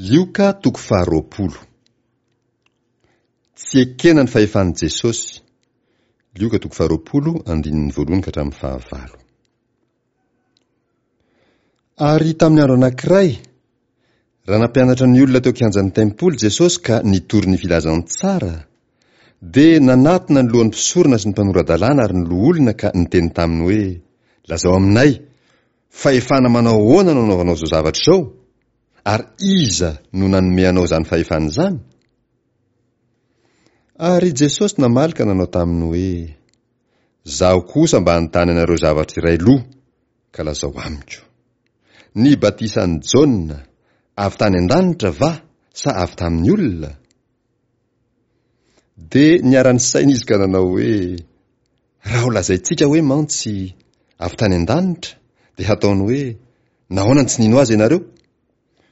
Lioka toko faharoapolo. Tsy ekena ny fahefan'i Jesosy. Lioka toko faharoapolo, andininy voalohany ka hatramin'ny fahavalo. Ary tamin'ny andro anankiray, raha nampianatra ny olona teo an-kianjan'ny tempoly Jesosy ka nitory ny filazantsara, dia nanatona ny lohan'ny mpisorona sy ny mpanora-dalàna ary ny loholona ka niteny taminy hoe, Lazao aminay, fahefana manao ahoana no anaovanao izao zavatra izao? Ary iza no nanome anao izany fahefana izany? Ary Jesosy namaly ka nanao taminy hoe, Zaho kosa mba hanontany anareo zavatra iray loha, ka lazao amiko. Ny batisan'i Jaona, avy tany an-danitra va sa avy tamin'ny olona? Dia niara-nisaina izy ka nanao hoe, Raha ho lazaintsika hoe mantsy, avy tany an-danitra, dia hataony hoe, Nahoana no tsy nino azy ianareo?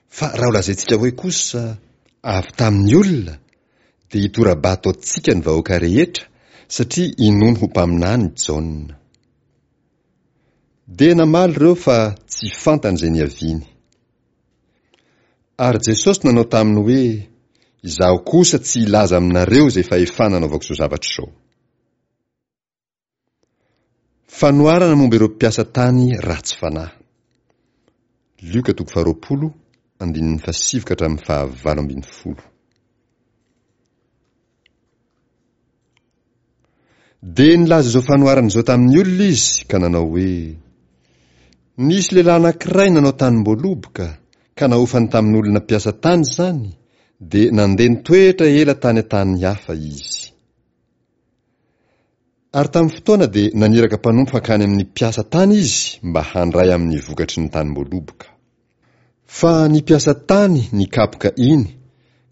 Fa raha ho lazaintsika hoe kosa, avy tamin'ny olona, dia hitora-bato antsika ny vahoaka rehetra, satria inoany ho mpaminany Jaona. Dia namaly ireo fa tsy fantany izay niaviany. Ary Jesosy nanao taminy hoe, Izaho kosa tsy hilaza aminareo izay fahefana anaovako izao zavatra izao. Fanoharana momba ireo mpiasa tany ratsy fanahy. Lioka toko faharoapolo, andininy fahasivy ka hatramin'ny fahavalo ambin'ny folo. Dia nilaza izao fanoharana izao tamin'ny olona izy ka nanao hoe, Nisy lehilahy anankiray nanao tanim-boaloboka, ka nahofany tamin'olona mpiasa tany izany, dia nandeha nitoetra ela tany an-tany hafa izy. Ary tamin'ny fotoana dia naniraka mpanompo hankany amin'ny mpiasa tany izy mba handray amin'ny vokatry ny tanim-boaloboka. Fa ny mpiasa tany nikapoka iny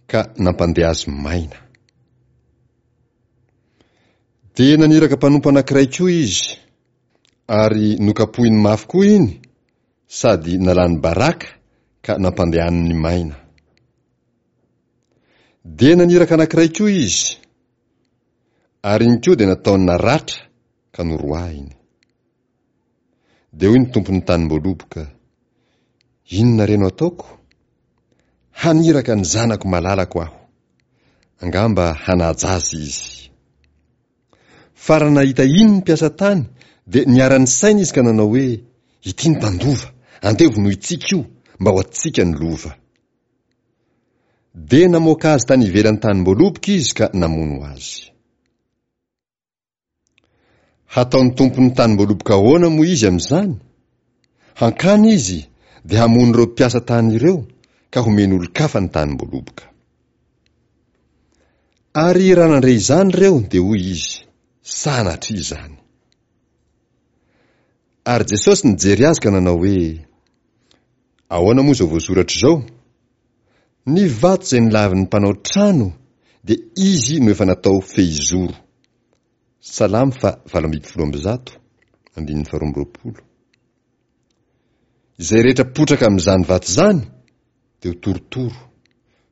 ka nampandeha azy maina. Dia naniraka mpanompo anankiray koa izy, ary nokapohiny mafy koa iny sady nalany baraka ka nampandehaniny maina. Dia naniraka anankiray koa izy, ary iny koa dia nataony naratra ka noroahiny. Dia hoy ny tompon'ny tanim-boaloboka, Inona re no ataoko? Haniraka ny zanako malalako aho. Angamba hanaja azy izy. Fa raha nahita iny ny mpiasa tany, dia niara-nisaina izy ka nanao hoe, Ity ny mpandova, andeha vonointsika io, mba ho antsika ny lova. Dia namoaka azy tany ivelan'ny tanim-boaloboka izy ka namono azy. Hataon'ny tompon'ny tanim-boaloboka ahoana moa izy amin'izany? Hankany izy dia hamono ireo mpiasa tany ireo ka homeny olon-kafa ny tanim-boaloboka. Ary raha nandre izany ireo dia hoy izy, Sanatria izany! Ary Jesosy nijery azy ka nanao hoe, Ahoana moa izao voasoratra izao? Ny vato izay nolavin'ny mpanao trano dia izy no efa natao fehizoro. Salamo faha 118, andininy faha 22. Izay rehetra potraka amin'izany vato izany dia ho torotoro,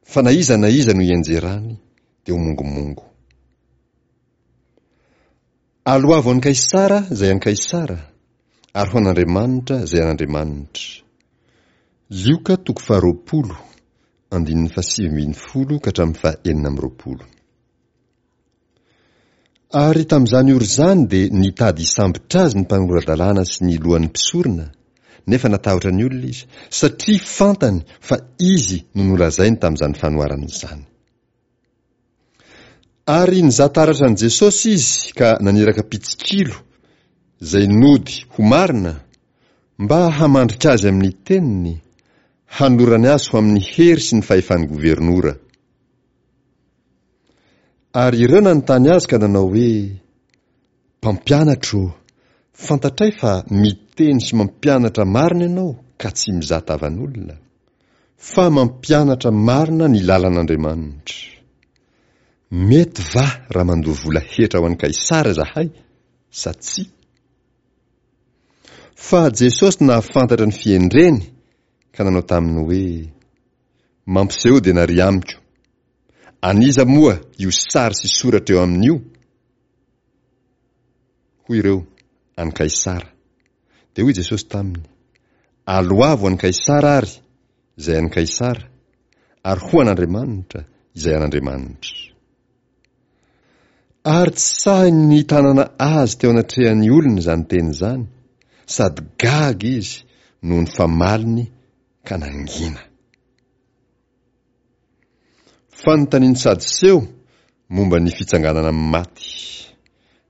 fa na iza na iza no hianjerany dia ho mongomongo. Aloavo an'i Kaisara izay an'i Kaisara, ary ho an'Andriamanitra izay an'Andriamanitra. Lioka toko faharoapolo, andininy fahasivy ambin'ny folo ka hatramin'ny faha-26. Ary tamin'izany ora izany dia nitady hisambotra azy ny mpanora-dalàna sy ny lohan'ny mpisorona, nefa natahotra ny olona izy, satria fantany fa izy no nolazainy tamin'izany fanoharana izany. Ary nizaha taratra an'i Jesosy izy ka naniraka mpitsikilo, izay nody ho marina, mba hamandrika azy amin'ny teniny, hanolorany azy ho amin'ny hery sy ny fahefan'ny governora. Ary ireo nanontany azy ka nanao hoe, Mpampianatra ô, fantatray fa miteny sy mampianatra marina ianao ka tsy mizaha tavan'olona, fa mampianatra marina ny lalan'Andriamanitra. Mety va raha mandoa vola hetra ho an'i Kaisara izahay sa tsia? Fa Jesosy nahafantatra ny fihendreny ka nanao taminy hoe, Mampisehoa denaria amiko. An'iza moa io sary sy soratra eo aminy io? Hoy ireo, An'i Kaisara. Dia hoy Jesosy taminy, Aloavo an'i Kaisara àry izay an'i Kaisara, ary ho an'Andriamanitra, izay an'Andriamanitra. Ary tsy sahiny ny nitanana azy teo anatrehan'ny olona izany teny izany, sady gaga izy noho ny famaliny ka nangina. Fanontanian'ny Sadoseo momba ny fitsanganana amin'ny maty.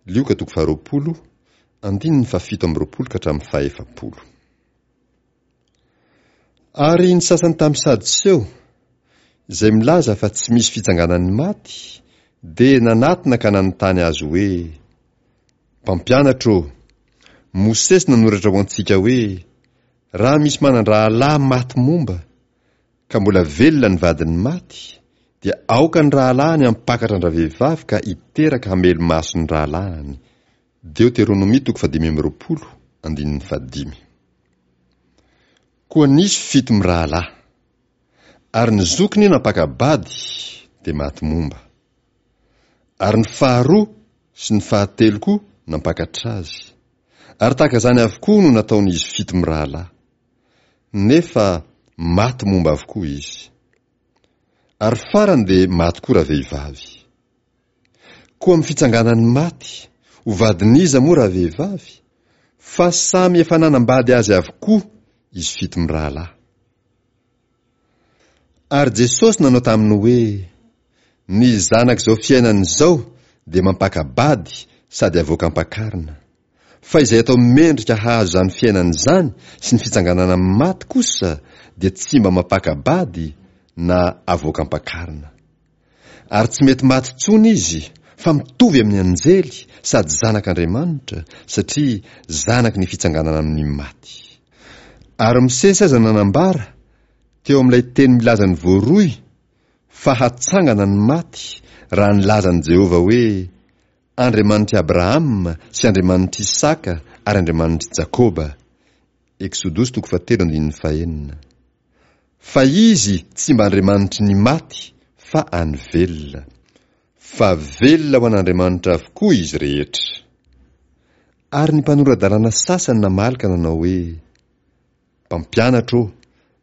Lioka toko faharoapolo, andininy fahafito amby roapolo ka hatramin'ny fahefapolo. Ary ny sasany tamin'ny Sadoseo, izay milaza fa tsy misy fitsanganan'ny maty, dia nanatona ka nanontany azy hoe, Mpampianatra ô, Mosesy nanoratra ho antsika hoe, Raha misy manan-drahalahy maty momba, ka mbola velona ny vadiny maty, dia aoka ny rahalahiny hampakatra an-dravehivavy ka hiteraka hamelo-maso ny rahalahiny. Deoteronomia toko fahadimy amby roapolo, andininy fahadimy. Koa nisy fito mirahalahy. Ary ny zokiny nampaka-bady, dia maty momba. Ary ny faharoa sy ny fahatelo koa nampakatra azy. Ary tahaka izany avokoa no nataon'izy fito mirahalahy. Nefa maty momba avokoa izy. Ary farany dia maty koa ravehivavy. Koa amin'ny fitsanganan'ny maty, ho vadin'iza moa ravehivavy? Fa samy efa nanambady azy avokoa izy fito mirahalahy. Ary Jesosy nanao taminy hoe, Ny zanak'izao fiainana izao dia mampaka-bady sady avoaka am-pakarina. Fa izay atao mendrika hahazo izany fiainana izany sy ny fitsanganana amin'ny maty kosa dia tsy mba mampaka-bady na avoaka am-pakarina. Ary tsy mety maty intsony izy fa mitovy amin'ny anjely sady zanak'Andriamanitra satria zanaky ny fitsanganana amin'ny maty. Ary Mosesy aza nanambara teo amin'ilay teny milaza ny voaroy fa hatsangana ny maty raha nilaza an'i Jehovah hoe Andriamanitr'i Abrahama sy Andriamanitr'i Isaka ary Andriamanitr'i Jakoba. Eksodosy toko fahatelo andininy fahenina. Fa Izy tsy mba Andriamanitry ny maty fa an'ny velona. Fa velona ho an'Andriamanitra avokoa izy rehetra. Ary ny mpanora-dalàna sasany namaly ka nanao hoe, Mpampianatra ô,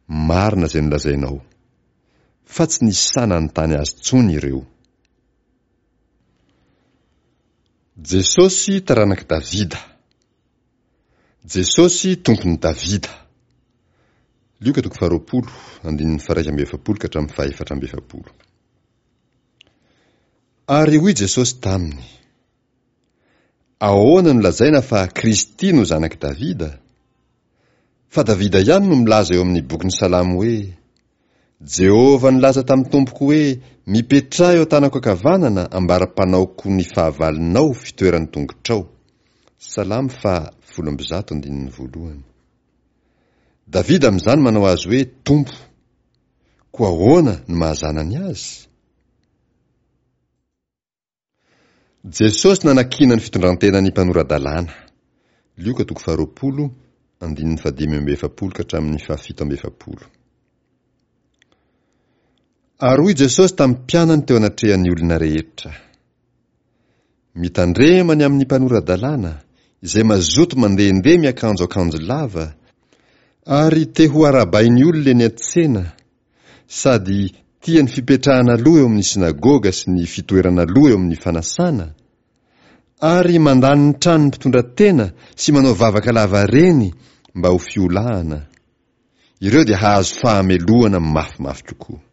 marina izay nolazainao. Fa tsy nisy sahy nanontany azy intsony ireo. Jesosy taranak'i Davida. Jesosy Tompon'i Davida. Lioka toko faharoapolo, andininy faha-iraika amby efapolo ka hatramin'ny faha-efatra amby efapolo. Ary hoy Jesosy taminy, Ahoana no lazaina fa Kristy no zanak'i Davida? Fa Davida ihany no milaza eo amin'ny bokin'ny Salamo hoe, Jehovah nilaza tamin'ny Tompoko hoe, Mipetraha eo an-tanako ankavanana ambara-panaoko ny fahavalonao ho fitoeran'ny tongotrao. Salamo faha 110 andininy voalohany. Davida amin'izany manao azy hoe Tompo. Koa ahoana no maha zanany azy? Jesosy nanakiana ny fitondran-tenan'ny mpanora-dalàna. Lioka toko faharoapolo, andininy fahadimy amby efapolo ka hatramin'ny fahafito amby efapolo. Ary hoy Jesosy tamin'ny mpianany teo anatrehan'ny olona rehetra, Mitandrema ny amin'ny mpanora-dalàna, izay mazoto mandehandeha miakanjo akanjo lava, ary te ho arahabain'ny olona eny an-tsena, sady tia ny fipetrahana aloha eo amin'ny synagoga sy ny fitoerana aloha eo amin'ny fanasana, ary mandany ny tranon'ny mpitondra tena sy manao vavaka lavareny mba ho fiolahana, ireo dia hahazo fahamelohana mafimafy kokoa.